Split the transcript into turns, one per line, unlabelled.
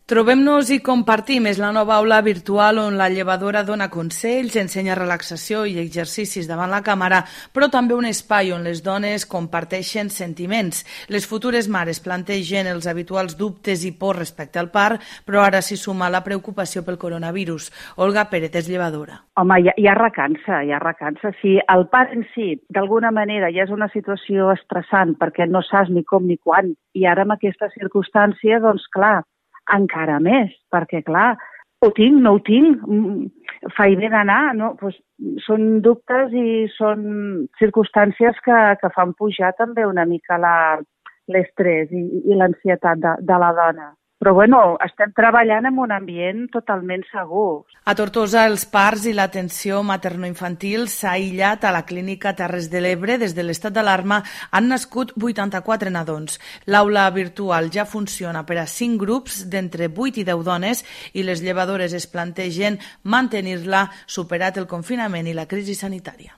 Trobem-nos i compartim és la nova aula virtual on la llevadora dona consells, ensenya relaxació i exercicis davant la càmera, però també un espai on les dones comparteixen sentiments. Les futures mares plantegen els habituals dubtes i por respecte al part, però ara s'hi suma la preocupació pel coronavirus. Olga Pérez és llevadora.
Home, hi ha recança. Si el part en si, d'alguna manera, ja és una situació estressant perquè no saps ni com ni quan, i ara amb aquesta circumstància, doncs clar, encara més, perquè clar, ho tinc, no ho tinc, faig bé d'anar, no? Pues, són dubtes i són circumstàncies que fan pujar també una mica l'estrès i l'ansietat de la dona. Però bueno, estem treballant en un ambient totalment segur.
A Tortosa, els parts i l'atenció materno-infantil s'ha aïllat a la clínica Terres de l'Ebre. Des de l'estat d'alarma han nascut 84 nadons. L'aula virtual ja funciona per a 5 grups d'entre 8 i 10 dones i les llevadores es plantegen mantenir-la superat el confinament i la crisi sanitària.